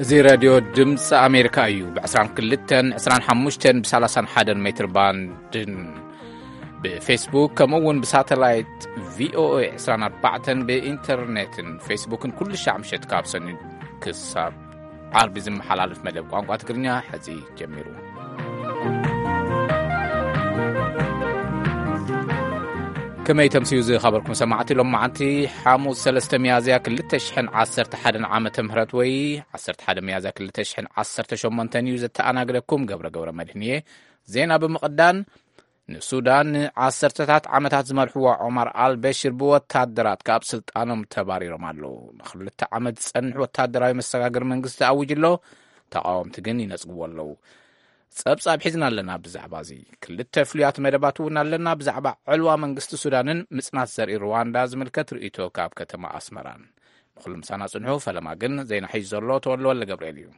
እዚ ሬድዮ ድምፂ ኣሜሪካ እዩ። ብ22፣ 25፣ ብ31 ሜትር ባንድን ብፌስቡክ፣ ከምኡ እውን ብሳተላይት ቪኦኤ 24 ብኢንተርኔትን ፌስቡክን ኩሉ ሻዕ ምሸት ካብ ሰኒ ክሳብ ዓርቢ ዝመሓላለፍ መደብ ቋንቋ ትግርኛ ሕዚ ጀሚሩ። ከመይ ተምስዩ ዝኸበርኩም ሰማዕቲ፣ ሎም መዓንቲ ሓሙስ 3 ሚያዝያ 2011 ዓመተ ምህረት ወይ 11 ሚያዝያ 2018 እዩ። ዘተኣናግደኩም ገብረ ገብረ መድህን እየ። ዜና ብምቕዳን፣ ንሱዳን ንዓሰርተታት ዓመታት ዝመርሕዋ ዑማር ኣልበሽር ብወታደራት ካብ ስልጣኖም ተባሪሮም ኣለዉ። ንክልተ ዓመት ዝጸንሕ ወታደራዊ መሰጋገሪ መንግስቲ ኣዊጁ ኣሎ። ተቓወምቲ ግን ይነጽግዎ ኣለዉ። ጸብጻብ ሒዝና ኣለና ብዛዕባ እዚ። ክልተ ፍሉያት መደባት እውን ኣለና። ብዛዕባ ዕልዋ መንግስቲ ሱዳንን ምጽናት ዘርኢ ሩዋንዳ ዝምልከት ርእይቶ ካብ ከተማ ኣስመራን። ንኹሉ ምሳና ጽንሑ። ፈለማ ግን ዜና ሒዙ ዘሎ ተወልደ ወልደ ገብርኤል እዩ።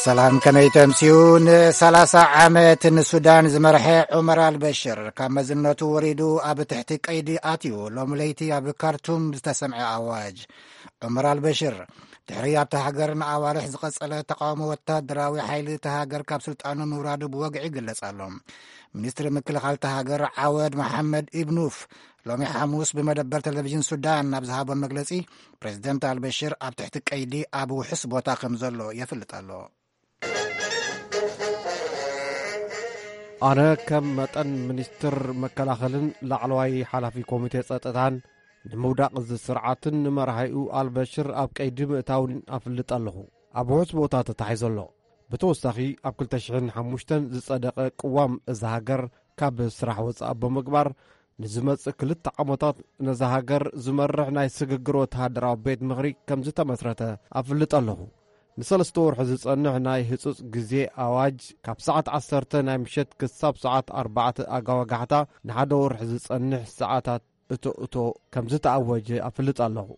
ሰላም፣ ከመይ ተምስዩ? ን30 ዓመት ንሱዳን ዝመርሐ ዑመር ኣልበሽር ካብ መዝነቱ ወሪዱ ኣብ ትሕቲ ቀይዲ ኣትዩ። ሎሚ ለይቲ ኣብ ካርቱም ዝተሰምዐ ኣዋጅ። ዑመር ኣልበሽር ድሕሪ ኣብታ ሃገር ንኣዋርሕ ዝቐጸለ ተቃውሞ፣ ወታደራዊ ሓይሊ እታ ሃገር ካብ ስልጣኑ ምውራዱ ብወግዒ ይግለጽ ኣሎ። ሚኒስትሪ ምክልኻል እታ ሃገር ዓወድ መሓመድ ኢብኑፍ ሎሚ ሓሙስ ብመደበር ቴሌቪዥን ሱዳን ናብ ዝሃቦ መግለጺ፣ ፕሬዚደንት ኣልበሽር ኣብ ትሕቲ ቀይዲ ኣብ ውሑስ ቦታ ከም ዘሎ የፍልጥ ኣሎ። ኣነ ከም መጠን ሚኒስትር መከላኸልን ላዕለዋይ ሓላፊ ኮሚቴ ጸጥታን፣ ንምውዳቕ እዚ ስርዓትን ንመራሒኡ ኣልበሽር ኣብ ቀይዲ ምእታውን ኣፍልጥ ኣለኹ። ኣብ ውሑስ ቦታ ተታሒዙ ኣሎ። ብተወሳኺ፣ ኣብ 2005 ዝጸደቐ ቅዋም እዛ ሃገር ካብ ስራሕ ወጻኢ ብምግባር፣ ንዝመጽእ ክልተ ዓመታት ነዛ ሃገር ዝመርሕ ናይ ስግግር ወተሃደራዊ ቤት ምኽሪ ከም ዝተመስረተ ኣፍልጥ ኣለኹ። ንሰለስተ ወርሒ ዝጸንሕ ናይ ህጹጽ ግዜ ኣዋጅ፣ ካብ ሰዓት 10 ናይ ምሸት ክሳብ ሰዓት 4 ኣጋወጋሕታ፣ ንሓደ ወርሒ ዝጸንሕ ሰዓታት እቶ እቶ ከም ዝተኣወጀ ኣፍልጥ ኣለኹ።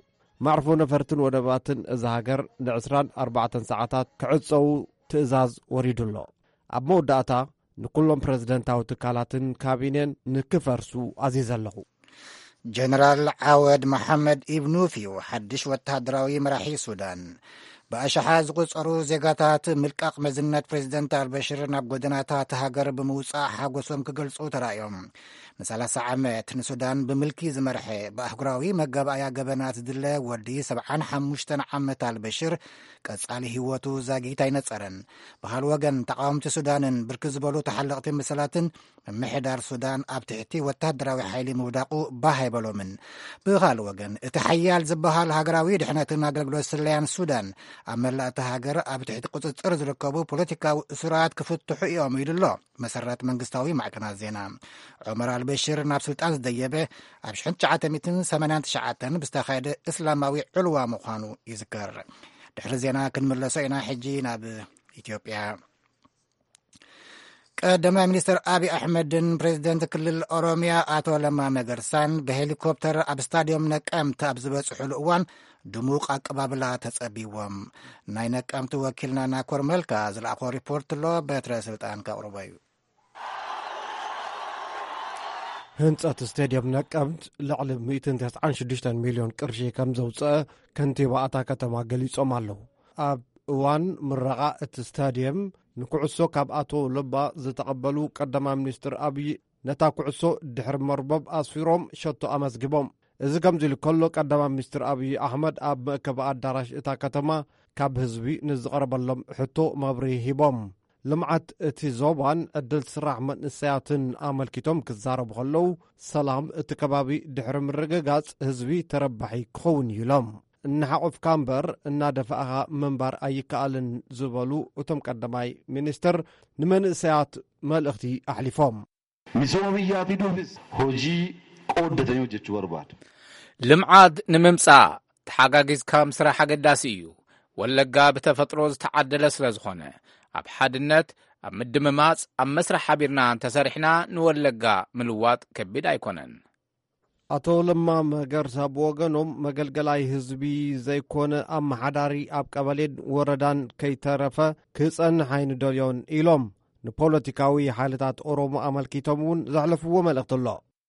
መዕርፎ ነፈርትን ወደባትን እዛ ሃገር ን24 ሰዓታት ክዕጸዉ ትእዛዝ ወሪዱ ኣሎ። ኣብ መወዳእታ፣ ንኩሎም ፕረዚደንታዊ ትካላትን ካቢኔን ንክፈርሱ ኣዚዘ ኣለኹ። ጀነራል ዓወድ መሓመድ ኢብኑፍ እዩ ሓድሽ ወተሃደራዊ መራሒ ሱዳን። ብኣሽሓት ዝቑጸሩ ዜጋታት ምልቃቕ መዝነት ፕሬዚደንት ኣልበሽር ናብ ጎደናታት ሃገር ብምውጻእ ሓጎሶም ክገልጹ ተራእዮም። ን30 ዓመት ንሱዳን ብምልኪ ዝመርሐ፣ ብኣህጉራዊ መጋባእያ ገበናት ዝድለ ወዲ 75 ዓመት ኣልበሽር፣ ቀጻሊ ህይወቱ ዛጊት ኣይነጸረን። ብኻልእ ወገን፣ ተቓወምቲ ሱዳንን ብርክት ዝበሉ ተሓለቕቲ ምስላትን፣ ምምሕዳር ሱዳን ኣብ ትሕቲ ወተሃደራዊ ሓይሊ ምውዳቑ ባህ ኣይበሎምን። ብኻልእ ወገን፣ እቲ ሓያል ዝበሃል ሃገራዊ ድሕነትን ኣገልግሎት ስለያን ሱዳን፣ ኣብ መላእ እታ ሃገር ኣብ ትሕቲ ቁጽጽር ዝርከቡ ፖለቲካዊ እሱራት ክፍትሑ እዮም ኢሉ ኣሎ መሰረት መንግስታዊ ማዕከናት ዜና። ዑመር ኣልበሽር ናብ ስልጣን ዝደየበ ኣብ 1989 ብዝተኻየደ እስላማዊ ዕልዋ ምዃኑ ይዝከር። ድሕሪ ዜና ክንምለሶ ኢና። ሕጂ ናብ ኢትዮጵያ። ቀዳማይ ሚኒስትር ኣብይ ኣሕመድን ፕሬዚደንት ክልል ኦሮሚያ ኣቶ ለማ መገርሳን ብሄሊኮፕተር ኣብ ስታዲዮም ነቀምት ኣብ ዝበጽሑሉ እዋን፣ ድሙቕ ኣቀባብላ ተጸቢዎም። ናይ ነቀምት ወኪልና ናኮር መልካ ዝለኣኾ ሪፖርት ኣሎ፣ በትረ ስልጣን ከቕርቦ እዩ። ህንጸት ስቴድየም ነቀምት ልዕሊ 196 ሚልዮን ቅርሺ ከም ዘውጽአ ከንቲባ እታ ከተማ ገሊጾም ኣለዉ። ኣብ እዋን ምረቓ እቲ ስታድየም፣ ንኩዕሶ ካብ ኣቶ ለማ ዝተቐበሉ ቀዳማይ ሚኒስትር ኣብይ፣ ነታ ኩዕሶ ድሕሪ መርበብ ኣስፊሮም ሸቶ ኣመዝጊቦም። እዚ ከምዚ ኢሉ ከሎ፣ ቀዳማይ ሚኒስትር ኣብይ ኣሕመድ ኣብ መእከቢ ኣዳራሽ እታ ከተማ ካብ ህዝቢ ንዝቐረበሎም ሕቶ መብርሂ ሂቦም። ልምዓት እቲ ዞባን ዕድል ስራሕ መንእሰያትን ኣመልኪቶም ክዛረቡ ከለዉ፣ ሰላም እቲ ከባቢ ድሕሪ ምርግጋጽ ህዝቢ ተረባሒ ክኸውን እዩ ኢሎም። እናሓቆፍካ እምበር እናደፋእኻ ምንባር ኣይከኣልን ዝበሉ እቶም ቀዳማይ ሚኒስትር፣ ንመንእሰያት መልእኽቲ ኣሕሊፎም። Misooma biyyaa fiduufis hojii qooddatanii hojjechuu barbaada. ልምዓት ንምምጻእ ተሓጋጊዝካ ምስራሕ ኣገዳሲ እዩ። ወለጋ ብተፈጥሮ ዝተዓደለ ስለ ዝኾነ፣ ኣብ ሓድነት፣ ኣብ ምድምማጽ፣ ኣብ መስርሕ ሓቢርና እንተሰሪሕና፣ ንወለጋ ምልዋጥ ከቢድ ኣይኮነን። ኣቶ ለማ መገርሳ ብወገኖም፣ መገልገላይ ህዝቢ ዘይኮነ ኣመሓዳሪ ኣብ ቀበሌን ወረዳን ከይተረፈ ክጸንሕ ኣይንደልዮን ኢሎም። ንፖለቲካዊ ሓይልታት ኦሮሞ ኣመልኪቶም እውን ዘሕለፍዎ መልእኽቲ ኣሎ።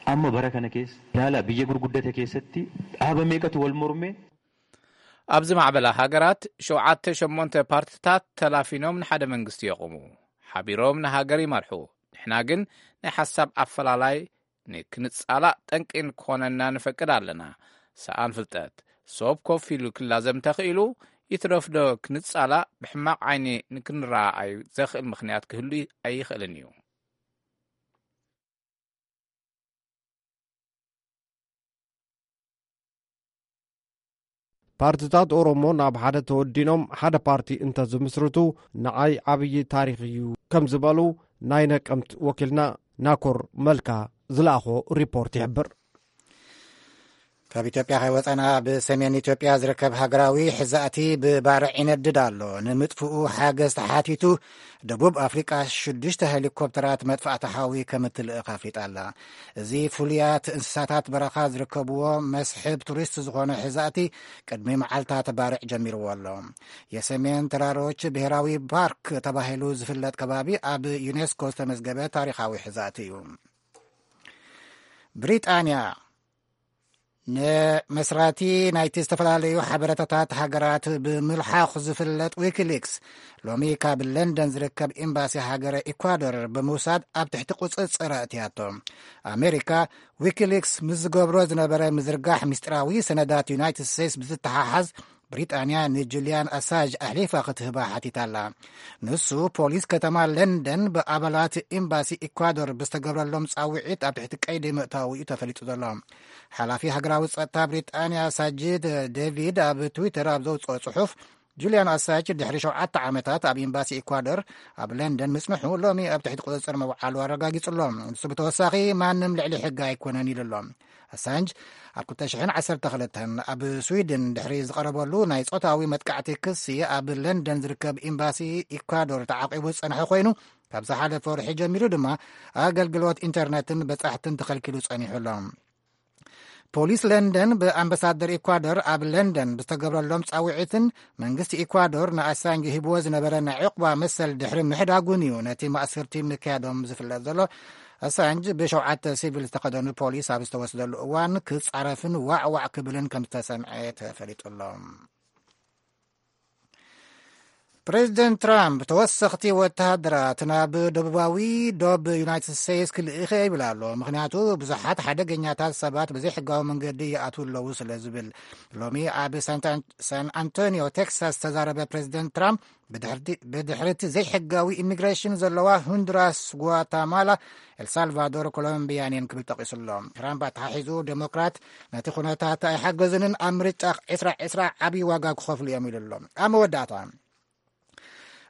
Amma bara kana keessa yaala biyya gurguddate keessatti dhaaba meeqatu wal mormee? ኣብዚ ማዕበላ ሃገራት ሸውዓተ ሸሞንተ ፓርትታት ተላፊኖም ንሓደ መንግስቲ የቑሙ። ሓቢሮም ንሃገር ይመርሑ። ንሕና ግን ናይ ሓሳብ ኣፈላላይ ንክንጻላእ ጠንቂ ንክኾነና ንፈቅድ ኣለና። ሰኣን ፍልጠት። ሶብ ኮፍ ኢሉ ክላዘም ተኽኢሉ፣ ይትረፍዶ ክንጻላእ ብሕማቕ ዓይኒ ንክንረኣኣዩ ዘኽእል ምኽንያት ክህሉ ኣይኽእልን እዩ። ፓርትታት ኦሮሞ ናብ ሓደ ተወዲኖም ሓደ ፓርቲ እንተዝምስርቱ ንዓይ ዓብዪ ታሪኽ እዩ ከም ዝበሉ ናይ ነቀምት ወኪልና ናኮር መልካ ዝለኣኾ ሪፖርት ይሕብር። ካብ ኢትዮጵያ ከይወፀና፣ ብሰሜን ኢትዮጵያ ዝርከብ ሃገራዊ ሕዛእቲ ብባርዕ ይነድድ ኣሎ። ንምጥፍኡ ሓገዝ ተሓቲቱ፣ ደቡብ ኣፍሪቃ ሽዱሽተ ሄሊኮፕተራት መጥፋእቲ ሓዊ ከም እትልእኽ ኣፍሊጣ ኣላ። እዚ ፍሉያት እንስሳታት በረኻ ዝርከብዎ መስሕብ ቱሪስት ዝኾነ ሕዛእቲ ቅድሚ መዓልታት ባርዕ ጀሚርዎ ኣሎ። የሰሜን ተራሮች ብሔራዊ ፓርክ ተባሂሉ ዝፍለጥ ከባቢ ኣብ ዩኔስኮ ዝተመዝገበ ታሪኻዊ ሕዛእቲ እዩ። ብሪጣንያ ንመስራቲ ናይቲ ዝተፈላለዩ ሓበሬታታት ሃገራት ብምልሓኽ ዝፍለጥ ዊኪሊክስ ሎሚ ካብ ለንደን ዝርከብ ኤምባሲ ሃገረ ኢኳዶር ብምውሳድ ኣብ ትሕቲ ቁጽጽር ኣእትያቶ። ኣሜሪካ ዊኪሊክስ ምስ ዝገብሮ ዝነበረ ምዝርጋሕ ምስጢራዊ ሰነዳት ዩናይትድ ስቴትስ ብዝተሓሓዝ ብሪጣንያ ንጁልያን ኣሳንጅ ኣሕሊፋ ክትህባ ሓቲታ ኣላ። ንሱ ፖሊስ ከተማ ለንደን ብኣባላት ኤምባሲ ኢኳዶር ብዝተገብረሎም ጻውዒት ኣብ ትሕቲ ቀይዲ ምእታዉ እዩ ተፈሊጡ ዘሎ። ሓላፊ ሃገራዊ ጸጥታ ብሪጣንያ ሳጅድ ዴቪድ ኣብ ትዊተር ኣብ ዘውጽኦ ጽሑፍ፣ ጁልያን ኣሳንጅ ድሕሪ ሸውዓተ ዓመታት ኣብ ኤምባሲ ኢኳዶር ኣብ ለንደን ምጽንሑ ሎሚ ኣብ ትሕቲ ቁጽጽር ምውዓሉ ኣረጋጊጹ ኣሎ። ንሱ ብተወሳኺ ማንም ልዕሊ ሕጊ ኣይኮነን ኢሉ ኣሎ። ኣሳንጅ ኣብ ክልተ ሽሕን ዓሰርተ ክልተን ኣብ ስዊድን ድሕሪ ዝቐረበሉ ናይ ጾታዊ መጥቃዕቲ ክሲ ኣብ ለንደን ዝርከብ ኤምባሲ ኢኳዶር ተዓቂቡ ዝጸንሐ ኮይኑ፣ ካብ ዝሓለፈ ወርሒ ጀሚሩ ድማ ኣገልግሎት ኢንተርነትን በጻሕትን ተኸልኪሉ ጸኒሑ ኣሎ። ፖሊስ ለንደን ብኣምባሳደር ኢኳዶር ኣብ ለንደን ብዝተገብረሎም ጻውዒትን መንግስቲ ኢኳዶር ንኣሳንጅ ሂብዎ ዝነበረ ናይ ዕቑባ መሰል ድሕሪ ምሕዳጉን እዩ ነቲ ማእስርቲ ምክያዶም ዝፍለጥ ዘሎ። ኣሳንጅ ብሸውዓተ ሲቪል ዝተኸደኑ ፖሊስ ኣብ ዝተወስደሉ እዋን ክጻረፍን ዋዕዋዕ ክብልን ከም ዝተሰምዐ ተፈሊጡ ኣሎ። ፕሬዚደንት ትራምፕ ተወሰኽቲ ወተሃደራት ናብ ደቡባዊ ዶብ ዩናይትድ ስቴትስ ክልእኸ ይብል ኣሎ። ምኽንያቱ ብዙሓት ሓደገኛታት ሰባት ብዘይሕጋዊ መንገዲ ይኣትዉ ኣለዉ ስለ ዝብል። ሎሚ ኣብ ሳንታ-፣ ሳን ኣንቶኒዮ ቴክሳስ ዝተዛረበ ፕሬዚደንት ትራምፕ ብድሕርቲ-፣ ብድሕርቲ ዘይሕጋዊ ኢሚግሬሽን ዘለዋ ሁንዱራስ፣ ጓታማላ፣ ኤልሳልቫዶር፣ ኮሎምቢያን እየን ክብል ጠቒሱ ኣሎ። ትራምፕ ኣተሓሒዙ ዴሞክራት ነቲ ኩነታት ኣይሓገዙንን ኣብ ምርጫ ዕስራ ዕስራ ዓብዪ ዋጋ ክኸፍሉ እዮም ኢሉ ኣሎ። ኣብ መወዳእታ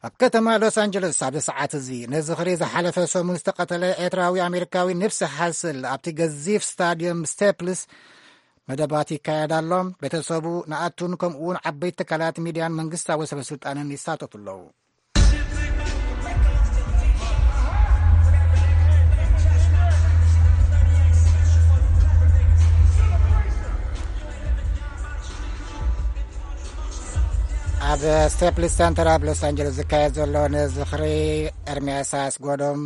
ኣብ ከተማ ሎስ ኣንጀለስ ኣብዚ ሰዓት እዚ ነዚ ዝኽሪ ዝሓለፈ ሰሙን ዝተቐተለ ኤርትራዊ ኣሜሪካዊ ንብሲ ሓስል ኣብቲ ገዚፍ ስታድየም ስቴፕልስ መደባት ይካየድ ኣሎ። ቤተሰቡ ንኣቱን ከምኡ እውን ዓበይቲ ትካላት ሚድያን መንግስታዊ ሰበ ስልጣንን ይሳተፉ ኣለዉ። ኣብ ስቴፕልስ ሰንተር ኣብ ሎስ ኣንጀለስ ዝካየድ ዘሎ ንዝኽሪ ኤርምያስ ኣስጎዶም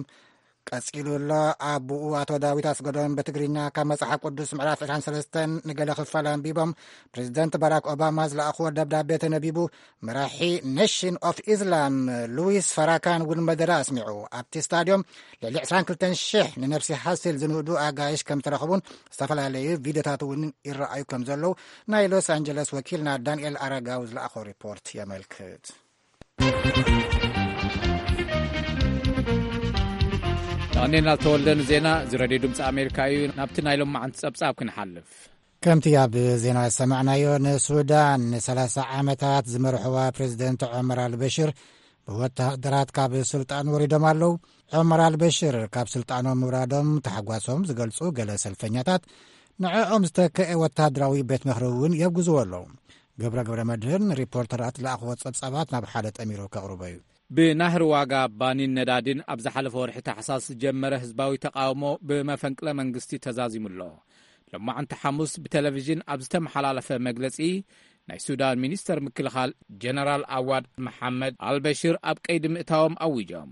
ቀጺሉ ኣሎ። ኣቦኡ ኣቶ ዳዊት ኣስጎዶም ብትግርኛ ካብ መጽሓፍ ቅዱስ ምዕራፍ ዕስራን ሰለስተን ንገለ ክፋል ኣንቢቦም፣ ፕሬዚደንት ባራክ ኦባማ ዝለኣኽዎ ደብዳቤ ተነቢቡ፣ መራሒ ኔሽን ኦፍ ኢስላም ሉዊስ ፈራካን እውን መደረ ኣስሚዑ። ኣብቲ ስታድዮም ልዕሊ ዕስራን ክልተን ሽሕ ንነብሲ ሓሲል ዝንእዱ ኣጋይሽ ከም ዝተረኽቡን ዝተፈላለዩ ቪድዮታት እውን ይረኣዩ ከም ዘለዉ ናይ ሎስ ኣንጀለስ ወኪልና ዳንኤል ኣረጋዊ ዝለኣኾ ሪፖርት የመልክት። ዳንኤል ተወልደ ንዜና እዚ ሬድዮ ድምፂ ኣሜሪካ እዩ። ናብቲ ናይ ሎማዓንቲ ጸብጻብ ክንሓልፍ። ከምቲ ኣብ ዜና ዝሰማዕናዮ፣ ንሱዳን ንሰላሳ ዓመታት ዝመርሕዋ ፕሬዚደንት ዑመር ኣልበሽር ብወተሃደራት ካብ ስልጣን ወሪዶም ኣለዉ። ዑመር ኣልበሽር ካብ ስልጣኖም ምውራዶም ታሕጓሶም ዝገልጹ ገለ ሰልፈኛታት፣ ንዕኦም ዝተክአ ወተሃደራዊ ቤት ምኽሪ እውን የውግዝዎ ኣለዉ። ገብረ ገብረ መድህን ሪፖርተራት ለኣኽዎ ጸብጻባት ናብ ሓደ ጠሚሩ ከቕርቦ እዩ። ብናህሪ ዋጋ ባኒን ነዳዲን ኣብ ዝሓለፈ ወርሒ ታሕሳስ ዝጀመረ ህዝባዊ ተቓውሞ ብመፈንቅለ መንግስቲ ተዛዚሙ ኣሎ። ሎማዕንቲ ሓሙስ ብቴሌቪዥን ኣብ ዝተመሓላለፈ መግለጺ፣ ናይ ሱዳን ሚኒስተር ምክልኻል ጀነራል ኣዋድ መሓመድ ኣልበሽር ኣብ ቀይዲ ምእታዎም ኣዊጆም።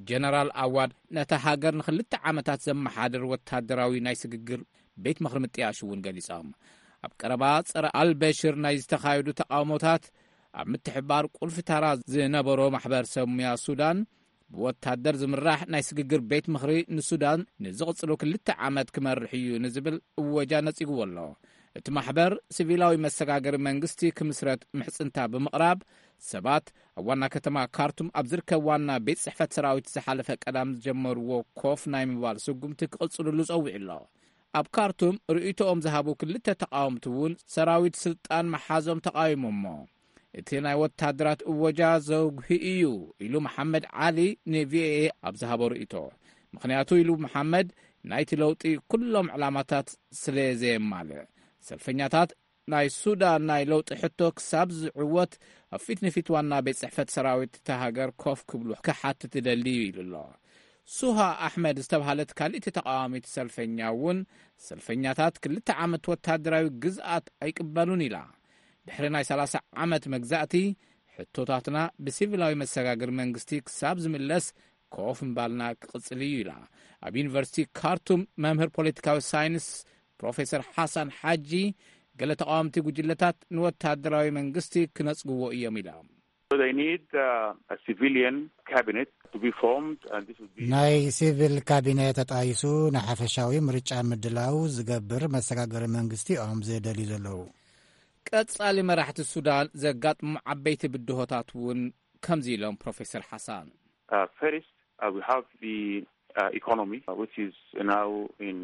ጀነራል ኣዋድ ነታ ሃገር ንኽልተ ዓመታት ዘመሓድር ወታደራዊ ናይ ስግግር ቤት ምኽሪ ምጥያሹ እውን ገሊጾም። ኣብ ቀረባ ጸረ ኣልበሽር ናይ ዝተኻየዱ ተቓውሞታት ኣብ ምትሕባር ቁልፊ ታራ ዝነበሮ ማሕበር ሰብ ሙያ ሱዳን፣ ብወታደር ዝምራሕ ናይ ስግግር ቤት ምኽሪ ንሱዳን ንዝቕጽሉ ክልተ ዓመት ክመርሕ እዩ ንዝብል እወጃ ነጺግዎ ኣሎ። እቲ ማሕበር ሲቪላዊ መሰጋገሪ መንግስቲ ክምስረት ምሕጽንታ ብምቕራብ፣ ሰባት ኣብ ዋና ከተማ ካርቱም ኣብ ዝርከብ ዋና ቤት ጽሕፈት ሰራዊት ዝሓለፈ ቀዳም ዝጀመርዎ ኮፍ ናይ ምባል ስጉምቲ ክቕጽልሉ ጸዊዑ ኣሎ። ኣብ ካርቱም ርእይቶኦም ዝሃቡ ክልተ ተቓወምቲ እውን ሰራዊት ስልጣን መሓዞም ተቓዊሞሞ። እቲ ናይ ወታደራት እወጃ ዘጉሂ እዩ ኢሉ መሓመድ ዓሊ ንቪኦኤ ኣብ ዝሃቦ ርእይቶ። ምኽንያቱ ኢሉ መሓመድ፣ ናይቲ ለውጢ ኩሎም ዕላማታት ስለ ዘየማልእ፣ ሰልፈኛታት ናይ ሱዳን ናይ ለውጢ ሕቶ ክሳብ ዝዕወት ኣብ ፊት ንፊት ዋና ቤት ጽሕፈት ሰራዊት እታ ሃገር ኮፍ ክብሉ ክሓትት እደሊ እዩ ኢሉ ኣሎ። ሱሃ ኣሕመድ ዝተባህለት ካልእቲ ተቃዋሚት ሰልፈኛ እውን፣ ሰልፈኛታት ክልተ ዓመት ወታደራዊ ግዝኣት ኣይቅበሉን ኢላ። ድሕሪ ናይ ሰላሳ ዓመት መግዛእቲ፣ ሕቶታትና ብሲቪላዊ መሰጋገሪ መንግስቲ ክሳብ ዝምለስ ኮፍ ምባልና ክቕጽል እዩ ኢላ። ኣብ ዩኒቨርሲቲ ካርቱም መምህር ፖለቲካዊ ሳይንስ ፕሮፌሰር ሓሳን ሓጂ፣ ገለ ተቃወምቲ ጉጅለታት ንወታደራዊ መንግስቲ ክነጽግዎ እዮም ኢላ። So they need uh, a civilian cabinet to be formed, and this would be ናይ ሲቪል ካቢነ ተጣይሱ ንሓፈሻዊ ምርጫ ምድላው ዝገብር መሰጋገሪ መንግስቲ እዮም ዝደልዩ ዘለዉ። ቀጻሊ መራሕቲ ሱዳን ዘጋጥሙ ዓበይቲ ብድሆታት እውን ከምዚ ኢሎም ፕሮፌሰር ሓሳን። Uh, first, uh, we have the uh, economy, uh, which is now in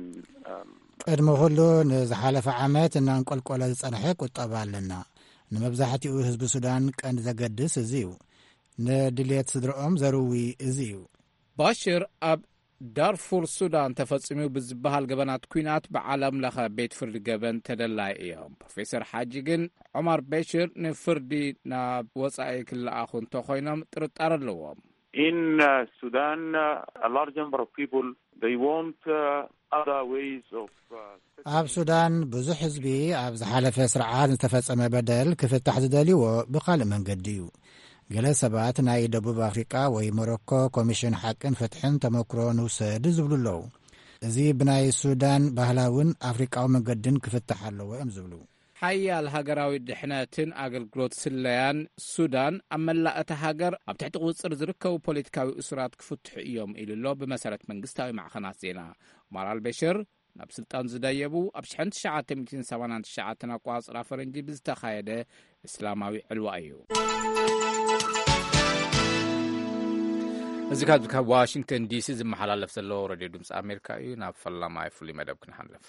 um, ቅድሚ ኩሉ፣ ንዝሓለፈ ዓመት እናንቆልቆለ ዝጸንሐ ቁጠባ ኣለና። ንመብዛሕትኡ ህዝቢ ሱዳን ቀንዲ ዘገድስ እዚ እዩ። ንድልየት ስድረኦም ዘርዊ እዚ እዩ። ባሽር ኣብ ዳርፉር ሱዳን ተፈጺሙ ብዝበሃል ገበናት ኲናት ብዓለም ለኸ ቤት ፍርዲ ገበን ተደላይ እዮም። ፕሮፌሰር ሓጂ ግን ዑማር በሽር ንፍርዲ ናብ ወጻኢ ክለኣኹ እንተኾይኖም ጥርጣረ ኣለዎም። In uh, Sudan, uh, a large number of people, they want uh, other ways of uh, ኣብ ሱዳን ብዙሕ ህዝቢ ኣብ ዝሓለፈ ስርዓት ዝተፈጸመ በደል ክፍታሕ ዝደልይዎ ብኻልእ መንገዲ እዩ። ገለ ሰባት ናይ ደቡብ ኣፍሪቃ ወይ ሞሮኮ ኮሚሽን ሓቅን ፍትሕን ተመክሮ ንውሰድ ዝብሉ ኣለዉ። እዚ ብናይ ሱዳን ባህላውን ኣፍሪቃዊ መንገድን ክፍታሕ ኣለዎ እዮም ዝብሉ። ሓያል ሃገራዊ ድሕነትን ኣገልግሎት ስለያን ሱዳን ኣብ መላእ እታ ሃገር ኣብ ትሕቲ ቁጽጽር ዝርከቡ ፖለቲካዊ እሱራት ክፍትሑ እዮም ኢሉ ኣሎ። ብመሰረት መንግስታዊ ማዕኸናት ዜና፣ ዑማር ኣልበሽር ናብ ስልጣን ዝደየቡ ኣብ ሽሕን ትሽዓተ ሚእትን ሰማንያን ትሽዓተን ኣቋጽራ ፈረንጂ ብዝተኻየደ እስላማዊ ዕልዋ እዩ። እዚ ካብ ካብ ዋሽንግተን ዲሲ ዝመሓላለፍ ዘሎ ሬድዮ ድምፂ ኣሜሪካ እዩ። ናብ ፈላማይ ፍሉይ መደብ ክንሓልፍ።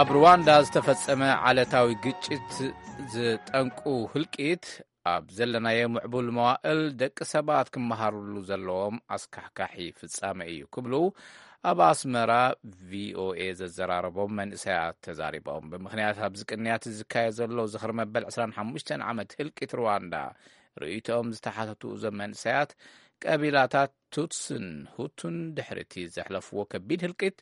ኣብ ሩዋንዳ ዝተፈጸመ ዓለታዊ ግጭት ዝጠንቁ ህልቂት ኣብ ዘለናዮ ምዕቡል መዋእል ደቂ ሰባት ክመሃሩሉ ዘለዎም ኣስካሕካሒ ፍጻመ እዩ ክብሉ ኣብ ኣስመራ ቪኦኤ ዘዘራረቦም መንእሰያት ተዛሪቦም። ብምኽንያት ኣብዚ ቅንያት ዝካየድ ዘሎ ዝኽሪ መበል ዕስራን ሓሙሽተን ዓመት ህልቂት ሩዋንዳ ርእይቶኦም ዝተሓተቱ እዞም መንእሰያት፣ ቀቢላታት ቱትስን ሁቱን ድሕሪቲ ዘሕለፍዎ ከቢድ ህልቂት፣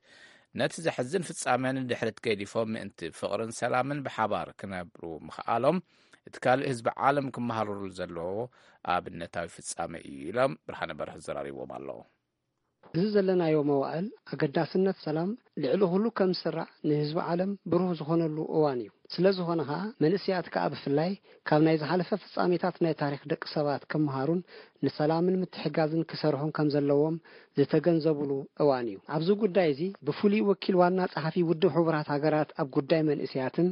ነቲ ዘሕዝን ፍጻመ ንድሕሪት ገዲፎም ምእንቲ ፍቕርን ሰላምን ብሓባር ክነብሩ ምኽኣሎም፣ እቲ ካልእ ህዝቢ ዓለም ክመሃረሉ ዘለዎ ኣብነታዊ ፍጻመ እዩ ኢሎም ብርሃነ በርሀ ዘራሪቦም ኣለዉ። እዚ ዘለናዮ መዋእል ኣገዳስነት ሰላም ልዕሊ ኩሉ ከም ዝስራዕ ንህዝቢ ዓለም ብሩህ ዝኾነሉ እዋን እዩ። ስለ ዝኾነ ኸኣ መንእሰያት ከኣ ብፍላይ ካብ ናይ ዝሓለፈ ፍጻሜታት ናይ ታሪኽ ደቂ ሰባት ክመሃሩን ንሰላምን ምትሕጋዝን ክሰርሑን ከም ዘለዎም ዝተገንዘቡሉ እዋን እዩ። ኣብዚ ጉዳይ እዚ ብፍሉይ ወኪል ዋና ጸሓፊ ውድብ ሕቡራት ሃገራት ኣብ ጉዳይ መንእሰያትን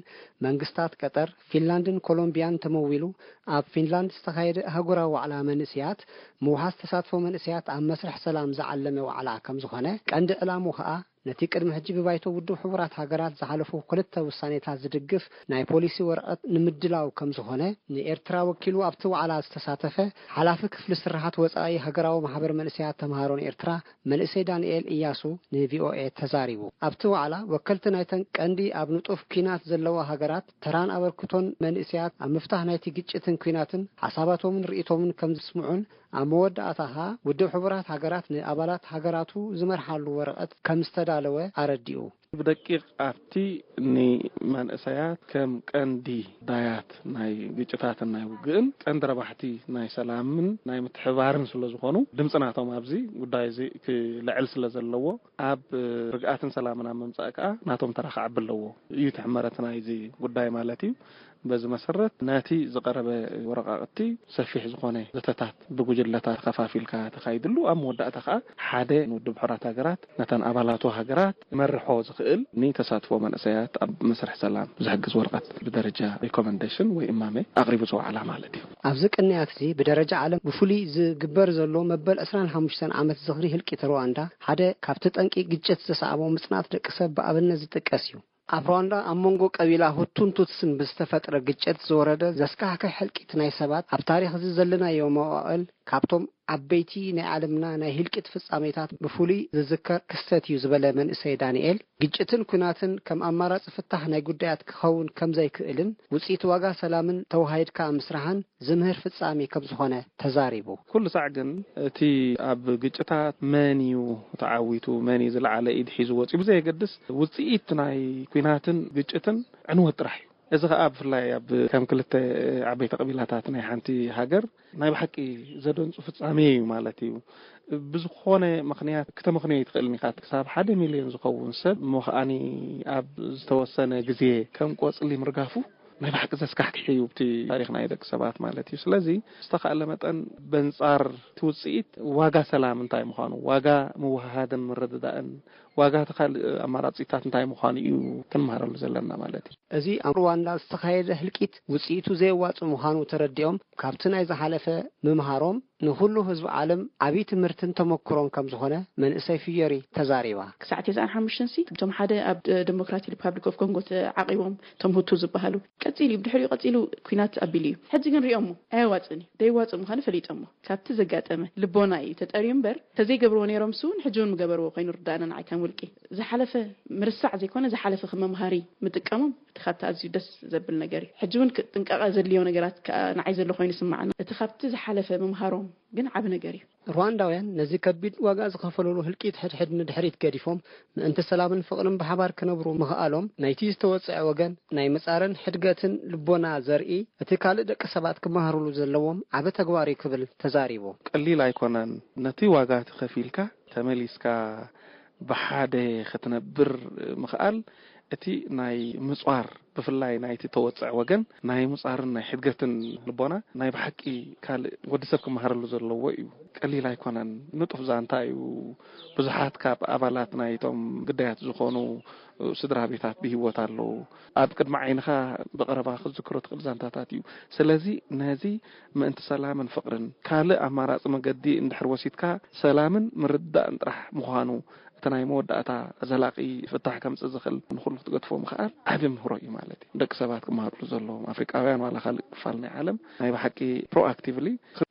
መንግስታት ቀጠር፣ ፊንላንድን ኮሎምቢያን ተመዊሉ ኣብ ፊንላንድ ዝተኻየደ ኣህጉራዊ ዋዕላ መንእሰያት ምውሓስ ተሳትፎ መንእሰያት ኣብ መስርሕ ሰላም ዝዓለመ ዋዕላ ከም ዝኾነ፣ ቀንዲ ዕላሙ ኸኣ ነቲ ቅድሚ ሕጂ ብባይቶ ውድብ ሕቡራት ሃገራት ዝሓለፉ ክልተ ውሳኔታት ዝድግፍ ናይ ፖሊሲ ወረቐት ንምድላው ከም ዝኾነ፣ ንኤርትራ ወኪሉ ኣብቲ ዋዕላ ዝተሳተፈ ሓላፊ ክፍሊ ስርሓት ወጻኢ ሃገራዊ ማሕበር መንእሰያት ተምሃሮን ኤርትራ መንእሰይ ዳንኤል እያሱ ንቪኦኤ ተዛሪቡ። ኣብቲ ዋዕላ ወከልቲ ናይተን ቀንዲ ኣብ ንጡፍ ኲናት ዘለዋ ሃገራት ተራን ኣበርክቶን መንእሰያት ኣብ ምፍታሕ ናይቲ ግጭትን ኲናትን ሓሳባቶምን ርእይቶምን ከም ዝስምዑን ኣብ መወዳእታ ኸኣ ውድብ ሕቡራት ሃገራት ንኣባላት ሃገራቱ ዝመርሓሉ ወረቐት ከም ዝተዳ ኣለወ ኣረዲኡ። ብደቂቕ ኣብቲ ንመንእሰያት ከም ቀንዲ ዳያት ናይ ግጭታትን ናይ ውግእን ቀንዲ ረባሕቲ ናይ ሰላምን ናይ ምትሕባርን ስለ ዝኾኑ፣ ድምፂ ናቶም ኣብዚ ጉዳይ እዚ ክልዕል ስለ ዘለዎ፣ ኣብ ርግኣትን ሰላምን ኣብ ምምፃእ ከዓ ናቶም ተራ ክዓቢ ኣለዎ እዩ ትሕመረት ናይዚ ጉዳይ ማለት እዩ። በዚ መሰረት ነቲ ዝቐረበ ወረቃቕቲ ሰፊሕ ዝኾነ ዘተታት ብጉጅለታት ተኸፋፊልካ ተኻይድሉ፣ ኣብ መወዳእታ ከዓ ሓደ ንውድብ ሕራት ሃገራት ነተን ኣባላቱ ሃገራት መርሖ ዝኽእል ንተሳትፎ መንእሰያት ኣብ መስርሕ ሰላም ዝሕግዝ ወረቐት ብደረጃ ሪኮመንዴሽን ወይ እማመ ኣቕሪቡ ዝወዓላ ማለት እዩ። ኣብዚ ቅንያት እዚ ብደረጃ ዓለም ብፍሉይ ዝግበር ዘሎ መበል ዕስራን ሓሙሽተን ዓመት ዝኽሪ ህልቂት ሩዋንዳ ሓደ ካብቲ ጠንቂ ግጭት ዘስዓቦ ምጽናት ደቂ ሰብ ብኣብነት ዝጥቀስ እዩ። ኣብ ሩዋንዳ ኣብ መንጎ ቀቢላ ሁቱን ቱትስን ብዝተፈጥረ ግጭት ዝወረደ ዘስካሕክሕ ህልቂት ናይ ሰባት ኣብ ታሪኽ እዚ ዘለናዮ መዋእል ካብቶም ዓበይቲ ናይ ዓለምና ናይ ህልቂት ፍጻሜታት ብፍሉይ ዝዝከር ክስተት እዩ ዝበለ መንእሰይ ዳንኤል፣ ግጭትን ኲናትን ከም ኣማራጺ ፍታሕ ናይ ጉዳያት ክኸውን ከም ዘይክእልን ውጽኢት ዋጋ ሰላምን ተወሃሂድካ ምስራሕን ዝምህር ፍጻሜ ከም ዝኾነ ተዛሪቡ። ኩሉ ሳዕ ግን እቲ ኣብ ግጭታት መን እዩ ተዓዊቱ፣ መን እዩ ዝለዓለ ኢድ ሒዙ ወጺኡ ብዘየገድስ ውጽኢት ናይ ኲናትን ግጭትን ዕንወት ጥራሕ እዩ። እዚ ኸኣ ብፍላይ ኣብ ከም ክልተ ዓበይቲ ቀቢላታት ናይ ሓንቲ ሃገር ናይ ብሓቂ ዘደንጹ ፍጻሜ እዩ ማለት እዩ። ብዝኾነ ምኽንያት ክተመኽንዮ ኣይትኽእልን ኢኻ። ክሳብ ሓደ ሚልዮን ዝኸውን ሰብ እሞ ኸኣኒ ኣብ ዝተወሰነ ግዜ ከም ቆጽሊ ምርጋፉ ናይ ብሓቂ ዘስካሕክሕ እዩ፣ ኣብቲ ታሪኽ ናይ ደቂ ሰባት ማለት እዩ። ስለዚ ዝተኻእለ መጠን በንጻር እቲ ውጽኢት ዋጋ ሰላም እንታይ ምዃኑ፣ ዋጋ ምውህሃድን ምርድዳእን፣ ዋጋ እቲ ካልእ ኣማራጺታት እንታይ ምዃኑ እዩ ክንመሃረሉ ዘለና ማለት እዩ። እዚ ኣብ ሩዋንዳ ዝተኻየደ ህልቂት ውጽኢቱ ዘየዋጽእ ምዃኑ ተረዲኦም ካብቲ ናይ ዝሓለፈ ምምሃሮም ንኹሉ ህዝቢ ዓለም ዓብዪ ትምህርትን ተመክሮን ከም ዝኾነ መንእሰይ ፍዮሪ ተዛሪባ። ክሳዕ ተስዓን ሓሙሽተን ሲ እቶም ሓደ ኣብ ደ-፣ ዴሞክራቲክ ሪፓብሊክ ኦፍ ኮንጎ ተዓቒቦም እቶም ሁቱ ዝበሃሉ ቀጺሉ እዩ፣ ብድሕሪኡ ቀጺሉ ኲናት ኣቢሉ እዩ። ሕጂ ግን ሪኦሞ ኣየዋጽእን እዩ፣ ደይዋጽእ ምዃኑ ፈሊጦሞ ካብቲ ዘጋጠመ ልቦና እዩ ተጠርዩ እምበር ተዘይገብርዎ ነይሮም ሱ እውን ሕጂ እውን ምገበርዎ ኮይኑ ርዳእና ንዓይ ከም ውልቂ። ዝሓለፈ ምርሳዕ ዘይኮነ ዝሓለፈ ከም መምሃሪ ምጥቀሞም እቲ ካብቲ ኣዝዩ ደስ ዘብል ነገር እዩ። ሕጂ እውን ክ-፣ ጥንቃቐ ዘድልዮ ነገራት ከኣ ንዓይ ዘሎ ኮይኑ ይስምዓኒ። እቲ ካብቲ ዝሓለፈ ምምሃሮም ግን ዓቢ ነገር እዩ። ሩዋንዳውያን ነዚ ከቢድ ዋጋ ዝኸፈሉሉ ህልቂት ሕድሕድ ንድሕሪት ገዲፎም ምእንቲ ሰላምን ፍቕርን ብሓባር ክነብሩ ምኽኣሎም ናይቲ ዝተወጽዐ ወገን ናይ ምጻርን ሕድገትን ልቦና ዘርኢ እቲ ካልእ ደቂ ሰባት ክመሃሩሉ ዘለዎም ዓቢ ተግባር እዩ ክብል ተዛሪቡ። ቀሊል ኣይኮነን። ነቲ ዋጋ ተኸፊልካ ተመሊስካ ብሓደ ክትነብር ምኽኣል እቲ ናይ ምጽዋር ብፍላይ ናይቲ ተወጽዕ ወገን ናይ ምጻርን ናይ ሕድገትን ልቦና ናይ ብሓቂ ካልእ ወዲ ሰብ ክመሃረሉ ዘለዎ እዩ። ቀሊል ኣይኮነን። ንጡፍ ዛንታ እዩ። ብዙሓት ካብ ኣባላት ናይቶም ግዳያት ዝኾኑ ስድራ ቤታት ብህይወት ኣለዉ። ኣብ ቅድሚ ዓይንኻ ብቐረባ ክትዝክሮ ትኽእል ዛንታታት እዩ። ስለዚ ነዚ ምእንቲ ሰላምን ፍቕርን ካልእ ኣማራጺ መገዲ እንድሕር ወሲድካ ሰላምን ምርድዳእን ጥራሕ ምዃኑ እቲ ናይ መወዳእታ ዘላቒ ፍታሕ ከምጽእ ዝኽእል ንኹሉ ክትገድፎ ምኽኣል ዓቢ ምህሮ እዩ ማለት እዩ። ደቂ ሰባት ክመሃርሉ ዘለዎም ኣፍሪቃውያን ዋላ ካልእ ክፋል ናይ ዓለም ናይ ብሓቂ ፕሮኣክቲቭሊ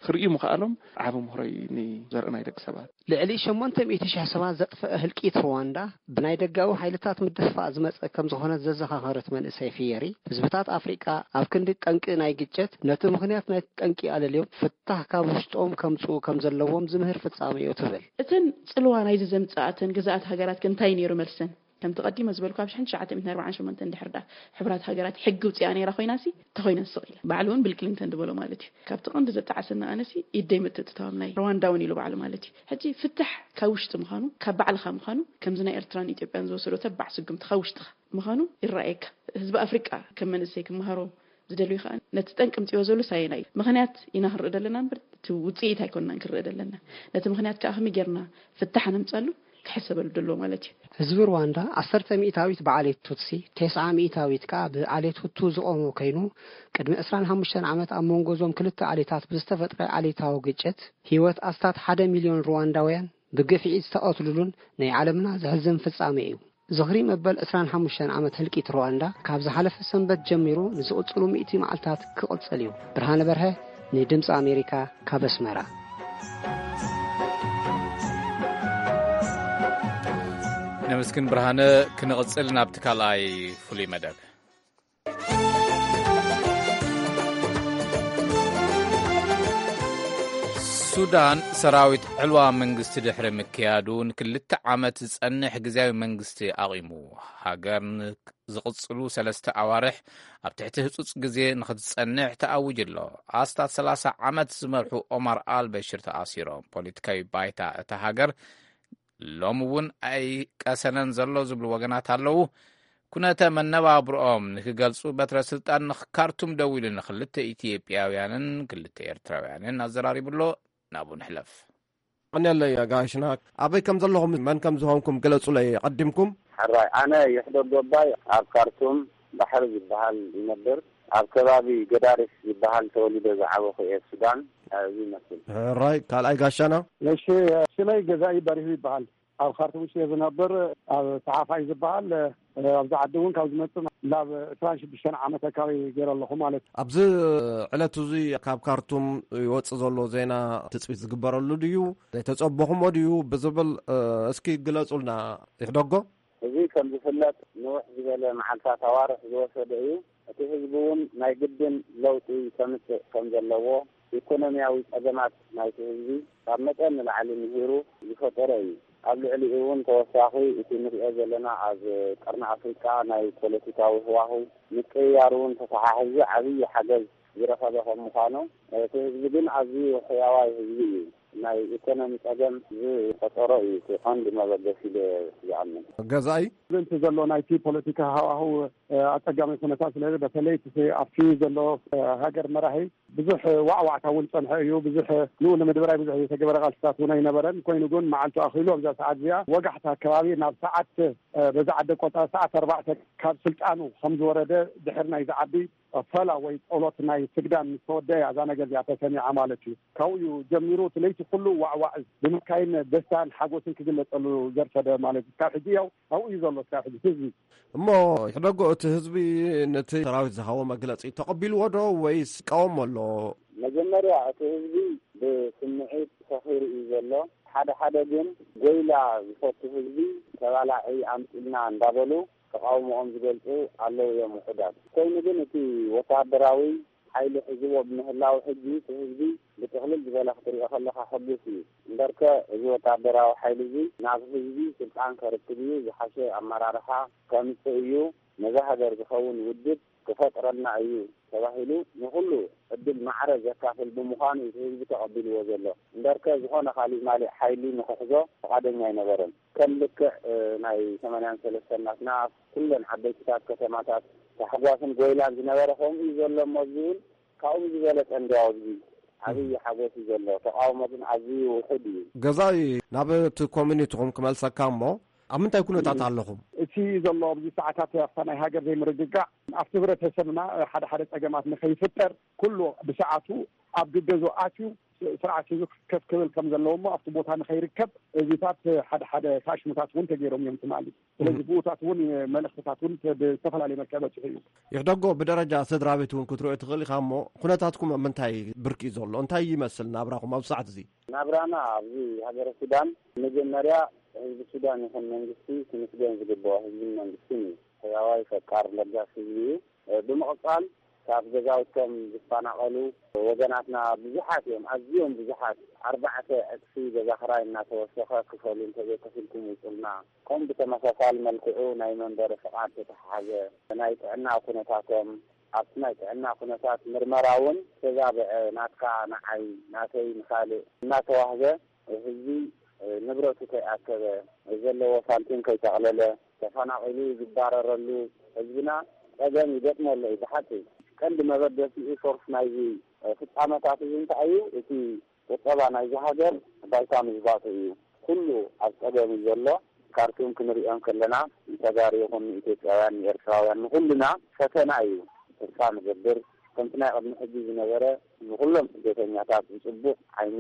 ክርእዩ ምኽኣሎም ዓቢ ምህሮ እዩ ንዘርኢ ናይ ደቂ ሰባት። ልዕሊ ሸሞንተ ሚእቲ ሽሕ ሰባት ዘጥፈአ ህልቂት ሩዋንዳ ብናይ ደጋዊ ሓይልታት ምድፍፋእ ዝመጸ ከም ዝኾነ ዘዘኻኸረት መንእሰይ ፊየሪ፣ ህዝብታት ኣፍሪቃ ኣብ ክንዲ ጠንቂ ናይ ግጭት ነቲ ምኽንያት ናይ ጠንቂ ኣለልዮም ፍታሕ ካብ ውሽጦም ከምጽኡ ከም ዘለዎም ዝምህር ፍጻሜ እዩ ትብል። እተን ጽልዋ ናይዚ ዘምጽኣተን ግዛኣት ሃገራት ከ እንታይ ነይሩ መልሰን? ከምቲ ቀዲመ ዝበልኩ ኣብ ሽሕን ትሽዓተ ሚእትን ኣርባዓን ሸሞንተን ድሕር ዳ ሕቡራት ሃገራት ሕጊ ውጽኣ ነይራ ኮይና ሲ ተኾይነን ስቕ ኢለን። ባዕሉ እውን ቢል ክሊንተን ዝበሎ ማለት እዩ። ካብቲ ቀንዲ ዘጣዓሰና ኣነ ሲ ኢደይ ምትእትታዎም ናይ ሩዋንዳ እውን ኢሉ ባዕሉ ማለት እዩ። ሕጂ ፍታሕ ካብ ውሽጢ ምዃኑ ካብ ባዕልኻ ምዃኑ ከምዚ ናይ ኤርትራን ኢትዮጵያን ዝወሰዶ ተባዕ ስጉምቲ ካብ ውሽጥኻ ምዃኑ ይረኣየካ። ህዝቢ ኣፍሪቃ ከም መንእሰይ ክመሃሮ ዝደልዩ ከዓ ነቲ ጠንቂ ምፅዮ ዘሎ ሳየና እዩ። ምኽንያት ኢና ክንርኢ ዘለና እምበር እቲ ውፅኢት ኣይኮንናን ክንርኢ ዘለና። ነቲ ምኽንያት ከዓ ከመይ ጌርና ፍታሕ ነምፀሉ ክሕሰበሉ ደሎ ማለት እዩ። ህዝቢ ሩዋንዳ ዓሰርተ ሚእታዊት ብዓሌት ቱትሲ፣ ተስዓ ሚእታዊት ከዓ ብዓሌት ሁቱ ዝቖመ ኮይኑ፣ ቅድሚ ዕስራን ሓሙሽተን ዓመት ኣብ መንጎ እዞም ክልተ ዓሌታት ብዝተፈጥረ ዓሌታዊ ግጭት ህይወት ኣስታት ሓደ ሚልዮን ሩዋንዳውያን ብግፍዒ ዝተቐትሉሉን ናይ ዓለምና ዘሕዝን ፍጻሜ እዩ። ዝኽሪ መበል ዕስራን ሓሙሽተን ዓመት ህልቂት ሩዋንዳ ካብ ዝሓለፈ ሰንበት ጀሚሩ ንዝቕጽሉ ሚእቲ መዓልታት ክቕጽል እዩ። ብርሃነ በርሀ ንድምፂ ኣሜሪካ ካብ ኣስመራ። ነመስግን ብርሃነ። ክንቕጽል ናብቲ ካልኣይ ፍሉይ መደብ። ሱዳን ሰራዊት ዕልዋ መንግስቲ ድሕሪ ምክያዱ ንክልተ ዓመት ዝጸንሕ ግዜያዊ መንግስቲ ኣቒሙ። ሃገር ንዝቕጽሉ ሰለስተ ኣዋርሕ ኣብ ትሕቲ ህጹጽ ግዜ ንኽትጸንሕ ተኣዊጁ ኣሎ። ኣስታት ሰላሳ ዓመት ዝመርሑ ኦማር ኣልበሽር ተኣሲሮም። ፖለቲካዊ ባይታ እታ ሃገር ሎም እውን ኣይቀሰነን ዘሎ ዝብሉ ወገናት ኣለዉ። ኩነተ መነባብርኦም ንክገልጹ በትረ ስልጣን ንካርቱም ደዊሉ ንክልተ ኢትዮጵያውያንን ክልተ ኤርትራውያንን ኣዘራሪቡ ኣሎ። ናብኡ ንሕለፍ። ቀንየለይ ጋሽና፣ ኣበይ ከም ዘለኹም መን ከም ዝኾንኩም ግለጹለይ ቀዲምኩም። ሕራይ፣ ኣነ ይሕደግ ጎባይ ኣብ ካርቱም ባሕሪ ዝበሃል ይነብር። ኣብ ከባቢ ገዳሪፍ ዝበሃል ተወሊደ ዝዓበኹ እየ። ሱዳን እዚ ይመስል። ሕራይ፣ ካልኣይ ጋሻና። እሺ፣ ሽመይ ገዛኢ በሪሁ ይበሃል። ኣብ ካርቱም ውሽጢ እየ ዝነብር። ኣብ ሰሓፋይ ዝበሃል ኣብዚ ዓዲ እውን ካብ ዝመፅእ ናብ ዕስራን ሽዱሽተን ዓመት ኣካባቢ ገይረ ኣለኹ ማለት እዩ። ኣብዚ ዕለት እዚ ካብ ካርቱም ይወፅእ ዘሎ ዜና ትፅቢት ዝግበረሉ ድዩ? ዘይተፀበኹሞ ድዩ ብዝብል እስኪ ግለፁልና። ይሕደጎ። እዚ ከም ዝፍለጥ ንውሕ ዝበለ መዓልታት ኣዋርሕ ዝወሰደ እዩ። እቲ ህዝቢ እውን ናይ ግድን ለውጢ ከምፅእ ከም ዘለዎ፣ ኢኮኖሚያዊ ፀገማት ናይቲ ህዝቢ ካብ መጠን ንላዕሊ ምሂሩ ዝፈጠረ እዩ። ኣብ ልዕሊኡ እውን ተወሳኺ እቲ ንሪኦ ዘለና ኣብ ቀርኒ ኣፍሪቃ ናይ ፖለቲካዊ ህዋህው ምቅይያር እውን ተተሓሒዙ ዓብዪ ሓገዝ ዝረኸበ ከም ምዃኑ፣ እቲ ህዝቢ ግን ኣዝዩ ሕያዋይ ህዝቢ እዩ። ናይ ኢኮኖሚ ጸገም ዝፈጠሮ እዩ እቲ ቀንዲ መበገሲ ኢለ ዝኣምን። ገዛኢ። እቲ ዘሎ ናይቲ ፖለቲካ ሃዋህው ኣጸጋሚ ኩነታት ስለ፣ በተለይ እቲ ኣብቲ ዘሎ ሃገር መራሒ ብዙሕ ዋዕዋዕታ እውን ጸንሐ እዩ። ብዙሕ ንኡ ንምድብራይ ብዙሕ ዝተገበረ ቃልስታት እውን ኣይነበረን። ኮይኑ ግን መዓልቱ ኣኺሉ ኣብዛ ሰዓት እዚኣ ወጋሕታ ከባቢ ናብ ሰዓት፣ በዛ ዓዲ ኣቆጻጽራ ሰዓት ኣርባዕተ ካብ ስልጣኑ ከም ዝወረደ ድሕሪ ናይ ዝዓቢ ፈላ ወይ ጸሎት ናይ ስግዳን ምስ ተወደአ እያ እዛ ነገር እዚኣ ተሰሚዓ ማለት እዩ። ካብኡ እዩ ጀሚሩ እቲ ለይቲ ኩሉ ዋዕዋዕ ብምካይን ደስታን ሓጎስን ክግለጸሉ ዘርፈደ ማለት እዩ። ካብ ሕጂ ያው ኣብኡ እዩ ዘሎ እስካብ ሕጂ ህዝቢ። እሞ ይሕደጎ፣ እቲ ህዝቢ ነቲ ሰራዊት ዝሃቦ መግለጺ ተቐቢልዎ ዶ ወይስ ይቃወሞ ኣሎ? መጀመርያ እቲ ህዝቢ ብስምዒት ሰኺሩ እዩ ዘሎ። ሓደ ሓደ ግን ጎይላ ዝፈቱ ህዝቢ ተባላዒ ኣምጺልና እንዳበሉ ተቃውሞኦም ዝገልጹ ኣለዉ እዮም ውሑዳት። ኮይኑ ግን እቲ ወተሃደራዊ ሓይሊ ሒዝዎ ብምህላው ሕጂ እቲ ህዝቢ ብጥቕልል ዝበለ ክትሪኦ ከለኻ ሕጉስ እዩ። እምበርከ እዚ ወተሃደራዊ ሓይሊ እዚ ናብ ህዝቢ ስልጣን ከርክብ እዩ፣ ዝሓሸ ኣመራርሓ ከምጽእ እዩ፣ ነዛ ሃገር ዝኸውን ውድብ ክፈጥረልና እዩ ተባሂሉ ንኹሉ ዕድል ማዕረ ዘካፍል ብምዃኑ እዩ እቲ ህዝቢ ተቐቢልዎ ዘሎ። እምበርከ ዝኾነ ካሊእ ማሊእ ሓይሊ ንኽሕዞ ፍቓደኛ ኣይነበረን። ከም ልክዕ ናይ ሰማንያን ሰለስተን ናትና ኩለን ዓበይትታት ከተማታት ታሕጓስን ጎይላን ዝነበረ ከምኡ እዩ ዘሎ እሞ እዚ እውን ካብኡ ዝበለጸ እንዲያው ኣብዚ ዓብዪ ሓጎስ እዩ ዘሎ። ተቃውሞ ግን ኣዝዩ ውሑድ እዩ። ገዛኢ፣ ናብ እቲ ኮሚኒቲኹም ክመልሰካ እሞ ኣብ ምንታይ ኩነታት ኣለኹም? እቲ ዘሎ ኣብዚ ሰዓታት ኣብታ ናይ ሃገር ዘይምርግጋእ ኣብቲ ህብረተሰብና ሓደ ሓደ ጸገማት ንኸይፍጠር ኩሉ ብሰዓቱ ኣብ ግገዞ ኣትዩ ስርዓት ሒዙ ከፍ ክብል ከም ዘለዎ እሞ ኣብቲ ቦታ ንኸይርከብ እዚታት ሓደ ሓደ ታሽሙታት እውን ተገይሮም እዮም ትማሊ። ስለዚ ብኡታት እውን መልእኽትታት እውን ብዝተፈላለየ መልክዕ በፂሑ እዩ። ይሕደጎ፣ ብደረጃ ስድራ ቤት እውን ክትሪኦ ትኽእል ኢኻ እሞ ኩነታትኩም ኣብ ምንታይ ብርኪ እዩ ዘሎ? እንታይ ይመስል ናብራኹም ኣብ ሰዓት እዚ? ናብራና ኣብዚ ሃገረ ሱዳን መጀመርያ ህዝቢ ሱዳን ይኹን መንግስቲ ክምስገን ዝግብኦ ህዝብን መንግስትን እዩ። ሕያዋይ ፈቃር ለጋስ ህዝቢ እዩ። ብምቕጻል ካብ ገዛውቶም ዝፈናቐሉ ወገናትና ብዙሓት እዮም፣ ኣዝዮም ብዙሓት። ኣርባዕተ ዕጽፊ ገዛ ክራይ እናተወሰኸ ክፈሉ እንተዘይከፊልኩም ውጹልና። ከምኡ ብተመሳሳሊ መልክዑ ናይ መንበሪ ፍቓድ ተተሓሓዘ። ናይ ጥዕና ኩነታቶም፣ ኣብቲ ናይ ጥዕና ኩነታት ምርመራ እውን ተዛብዐ። ናትካ ንዓይ፣ ናተይ ንኻልእ እናተዋህበ ህዝቢ ንብረቱ ከይኣከበ፣ ዘለዎ ሳንቲም ከይጠቕለለ፣ ተፈናቒሉ ዝባረረሉ ህዝብና ጸገም ይገጥሞ ኣሎ እዩ። ብሓቂ ቀንዲ መበገሲኡ ሶርስ ናይዚ ፍጻመታት እዚ እንታይ እዩ? እቲ ቁጠባ ናይዚ ሃገር ባይታ ምዝባጡ እዩ። ኩሉ ኣብ ጸገም እዩ ዘሎ። ካርቱም ክንሪኦም ከለና ንተጋሩ ይኹን ንኢትዮጵያውያን ንኤርትራውያን ንኹልና ፈተና እዩ። ተስፋ ንገብር ከምቲ ናይ ቅድሚ ሕጂ ዝነበረ ንኹሎም ስደተኛታት ብጽቡቕ ዓይኒ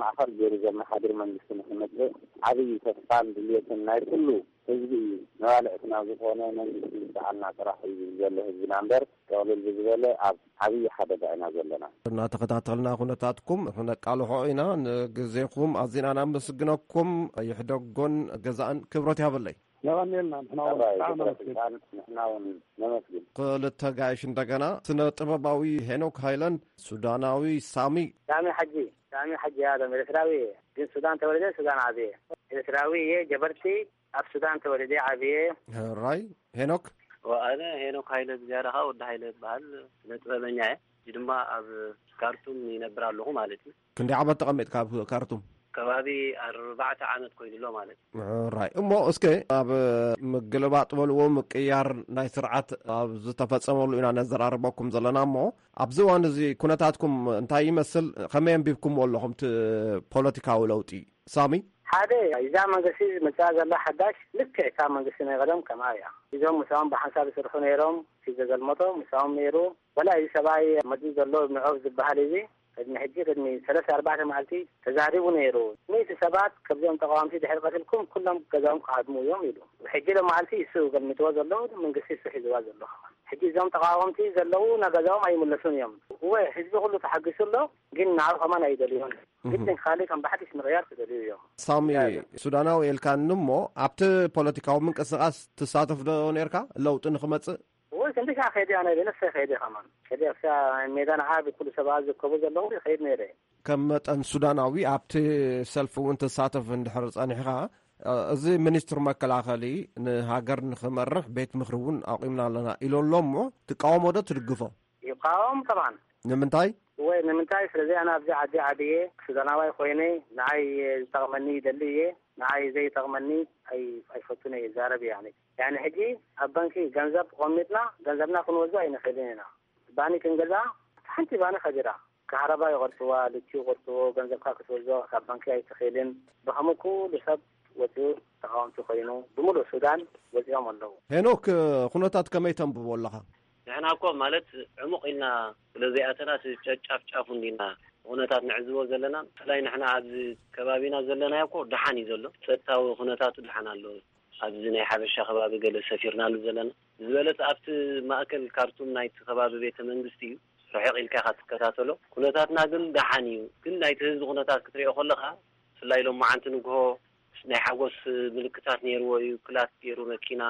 ማእኸል ገይሩ ዘመሓድር መንግስቲ ንክመጽእ ዓብዪ ተስፋን ድልየትን ናይ ኩሉ ህዝቢ እዩ። መባልዕትና ዝኾነ መንግስቲ ይምጽኣልና ጥራሕ እዩ ዝብል ዘሎ ህዝብና እምበር ጥቕልል ብዝበለ ኣብ ዓብዪ ሓደጋ ኢና ዘለና። እናተኸታተልና ኩነታትኩም ክነቃልሖ ኢና። ንግዜኹም ኣዚና ነመስግነኩም። ይሕደጎን ገዛእን ክብረት ያበለይ። የቐንየልና። ንሕና እውን ኣባይ ብጣዕሚ ግብረ ነመስግን። ስልጣን ንሕና እውን ነመስግን። ክልተ ጋይሽ እንደገና፣ ስነ ጥበባዊ ሄኖክ ሃይለን፣ ሱዳናዊ ሳሚ። ሳሚ ሓጂ፣ ሳሚ ሓጂ ኣለም ኤርትራዊ እየ፣ ግን ሱዳን ተወልደ ሱዳን ዓብየ። ኤርትራዊ እየ፣ ጀበርቲ፣ ኣብ ሱዳን ተወልደ ዓብየ። ራይ ሄኖክ። ኣነ ሄኖክ ሃይለ፣ ዝያዳ ከዓ ወዲ ሃይለ ይበሃል። ስነ ጥበበኛ እየ። ሕጂ ድማ ኣብ ካርቱም ይነብር ኣለኹ ማለት እዩ። ክንደይ ዓመት ተቐሚጥካ ኣብ ካርቱም? ከባቢ ኣርባዕተ ዓመት ኮይኑ ኣሎ ማለት እዩ። ራይ እሞ፣ እስከ ኣብ ምግልባጥ በልዎ፣ ምቅያር ናይ ስርዓት ኣብ ዝተፈጸመሉ ኢና ነዘራርበኩም ዘለና። እሞ ኣብዚ እዋን እዚ ኩነታትኩም እንታይ ይመስል? ከመይ ኣንቢብኩምዎ ኣለኹም እቲ ፖለቲካዊ ለውጢ? ሳሚ። ሓደ፣ እዛ መንግስቲ ዝመፅኣ ዘላ ሓዳሽ ልክዕ እታ መንግስቲ ናይ ቀደም ከምኣ እያ። እዞም ምሳኦም ብሓንሳብ ይሰርሑ ነይሮም፣ እቲ ዘገልመጦ ምሳኦም ነይሩ። ወላ እዚ ሰብኣይ መፂኡ ዘሎ ንዖፍ ዝበሃል እዚ ቅድሚ ሕጂ፣ ቅድሚ ሰለስተ ኣርባዕተ መዓልቲ ተዛሪቡ ነይሩ። ሚእቲ ሰባት ከምዚኦም ተቃወምቲ ድሕሪ ቀትልኩም ኩሎም ገዛኦም ክሃድሙ እዮም ኢሉ። ሕጂ ሎ መዓልቲ እሱ ገልሚጥዎ ዘሎ፣ መንግስቲ እሱ ሒዝዋ ዘሎ። ሕጂ እዞም ተቃወምቲ ዘለዉ ናብ ገዛኦም ኣይምለሱን እዮም። እወ፣ ህዝቢ ኩሉ ተሓጊሱ ኣሎ፣ ግን ንዓኡ ከማን ኣይደልዮን። ግድን ካልእ ከም ብሓድሽ ምቕያር ክደልዩ እዮም። ሳሚ፣ ሱዳናዊ ኢልካኒ እሞ፣ ኣብቲ ፖለቲካዊ ምንቅስቃስ ትሳተፍ ዶ ነርካ ለውጢ ንክመጽእ? ወይ ክንዲ ሻዕ ከይደ ኣነ ብነፍሰ ከይደ ከማን ከዲ ኣብሳ ሜዳ ንዓ ብኩሉ ሰባት ዝርከቡ ዘለዉ ከይድ ነይረ። ከም መጠን ሱዳናዊ ኣብቲ ሰልፊ እውን ትሳተፍ እንድሕር ጸኒሕኻ፣ እዚ ሚኒስትር መከላኸሊ ንሃገር ንኽመርሕ ቤት ምኽሪ እውን ኣቑምና ኣለና ኢሉ ኣሎ እሞ ትቃወሞ ዶ ትድግፎ? ይቃወም ጠብዓን። ንምንታይ? ወይ ንምንታይ? ስለዚ ኣነ ኣብዚ ዓዲ ዓብየ ሱዳናዋይ ኮይነ ንዓይ ዝጠቕመኒ ይደሊ እየ፣ ንዓይ ዘይጠቕመኒ ኣይ-፣ ኣይፈቱን እየ ይዛረብ እየ። ያኒ ሕጂ ኣብ ባንኪ ገንዘብ ቆሚጥና ገንዘብና ክንወስዶ ኣይንኽእልን ኢና። ባኒ ክንገዛ ሓንቲ ባኒ ከቢራ፣ ካህረባ ይቆርፅዋ፣ ልቺ ይቆርፅዎ፣ ገንዘብካ ክትወስዶ ካብ ባንኪ ኣይትኽእልን። ብኸምኡ ኩሉ ሰብ ወፂኡ ተቃወምቲ ኮይኑ ብምሉእ ሱዳን ወፂኦም ኣለዉ። ሄኖክ፣ ኩነታት ከመይ ተንብቦ ኣለኻ? ንሕና እኮ ማለት ዕሙቕ ኢልና ስለ ዘይኣተና እቲ ጨጫፍ ጫፉ እንዲና ኩነታት ንዕዝቦ ዘለና። ብፍላይ ንሕና ኣብዚ ከባቢና ዘለናዮ እኮ ደሓን እዩ ዘሎ፣ ጸጥታዊ ኩነታቱ ደሓን ኣሎ። ኣብዚ ናይ ሓበሻ ከባቢ ገለ ሰፊርናሉ ዘለና ዝበለጸ ኣብቲ ማእከል ካርቱም ናይቲ ከባቢ ቤተ መንግስቲ እዩ። ርሕቕ ኢልካ ኢኻ ትከታተሎ። ኩነታትና ግን ደሓን እዩ። ግን ናይቲ ህዝቢ ኩነታት ክትሪኦ ከለኻ ብፍላይ ሎማዓንቲ ንግሆ ናይ ሓጎስ ምልክታት ነይርዎ እዩ። ክላት ገይሩ መኪና፣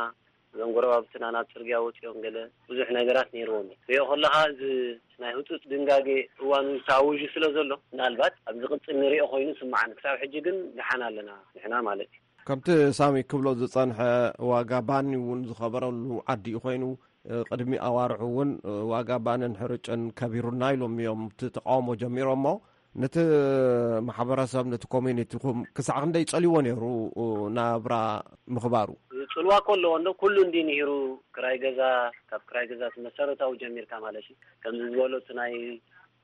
እዞም ጎረባብትና ናብ ጽርግያ ወጺኦም ገለ ብዙሕ ነገራት ነይርዎም እዩ። ሪኦ ከለኻ እዚ ናይ ህጹጽ ድንጋጌ እዋኑ ተኣዊጁ ስለ ዘሎ ምናልባት ኣብ ዝቕጽል ንሪኦ ኮይኑ ስምዓን። ክሳብ ሕጂ ግን ደሓን ኣለና ንሕና ማለት እዩ። ከምቲ ሳሚ ክብሎ ዝጸንሐ ዋጋ ባኒ እውን ዝኸበረሉ ዓዲ እዩ ኮይኑ፣ ቅድሚ ኣዋርሑ እውን ዋጋ ባንን ሕርጭን ከቢሩና ኢሎም እዮም እቲ ተቃውሞ ጀሚሮሞ። ነቲ ማሕበረሰብ፣ ነቲ ኮሚኒቲኹም ክሳዕ ክንደይ ጸልይዎ ነይሩ ናብራ ምኽባሩ? ጽልዋ እኮ ኣለዎ እንዶ፣ ኩሉ እንዲ ንሂሩ ክራይ ገዛ፣ ካብ ክራይ ገዛ እቲ መሰረታዊ ጀሚርካ ማለት እዩ። ከምዚ ዝበሎ እቲ ናይ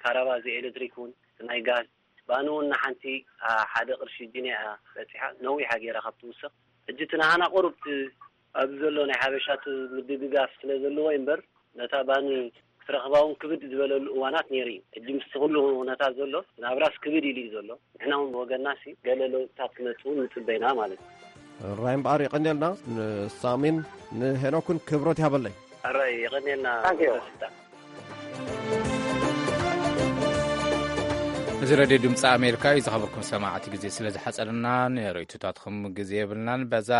ካራባ፣ እዚ ኤሌክትሪክ እውን፣ እቲ ናይ ጋዝ፣ ባኒ እውን ንሓንቲ፣ አ፣ ሓደ ቅርሺ ጅንያ እያ በጺሓ፣ ነዊሓ ገይራ ካብ ትውስኽ። ሕጂ እቲ ናሃና ቁሩብ እቲ ኣብዚ ዘሎ ናይ ሓበሻ እቲ ምድግጋፍ ስለ ዘለዎ እዩ እምበር፣ ነታ ባኒ ክትረኽባ እውን ክብድ ዝበለሉ እዋናት ነይሩ እዩ። ሕጂ ምስቲ ኩሉ ኩነታት ዘሎ ናብራስ ክብድ ኢሉ እዩ ዘሎ። ንሕና እውን ብወገንና ሲ ገለ ለውጥታት ክመጽእ እውን ንጽበ ኢና ማለት እዩ። ራይ እምበኣር የቐንየልና። ንሳሚን ንሄኖክን ክብረት ያበለይ። ኣራይ የቐንየልና። ታንኪዩ። እዚ ሬድዮ ድምፂ ኣሜሪካ እዩ። ዝኸበርኩም ሰማዕቲ፣ ግዜ ስለ ዝሓፀረና ንርእይቶታትኩም ግዜ የብልናን። በዛ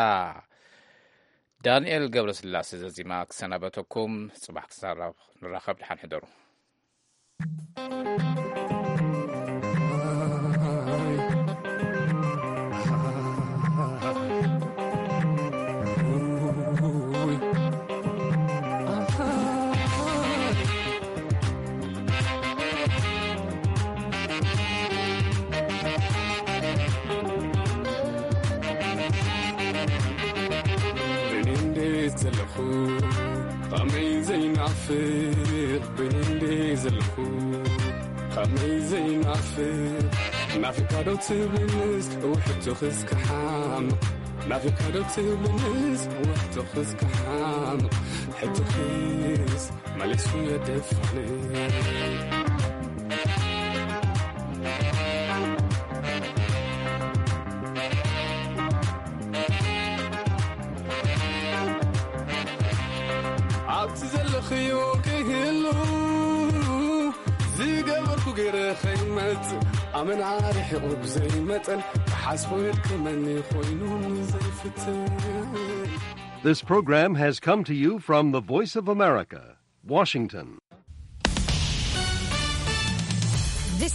ዳንኤል ገብረስላሴ ዘዚማ ክሰናበተኩም። ፅባሕ ክሳብ ንራኸብ፣ ድሓን ሕደሩ። ብእኔ እንዴት ዘለኹ ጣዕመይ ዘይናፍቕ፣ ብእኔ እንዴት ዘለኹ ጣዕመይ ዘይናፍቕ። ናፊቕካ ዶ ትብልንስ ውሕቱ ክስከሓምቕ፣ ናፊቕካ ዶ ትብልንስ ውሕቱ ክስከሓምቕ፣ ሕቶኺስ መሊሱ የደፋንቕ። ኣብቲ ዘለኽዮ ከይህሉ ዝገበርኩ ገይረ ከይመጽእ ኣመና ርሒቑ ብዘይ መጠን ክሓስቦ የድክመኒ ኮይኑ ዘይፍትን This program has come to you from the Voice of America, Washington.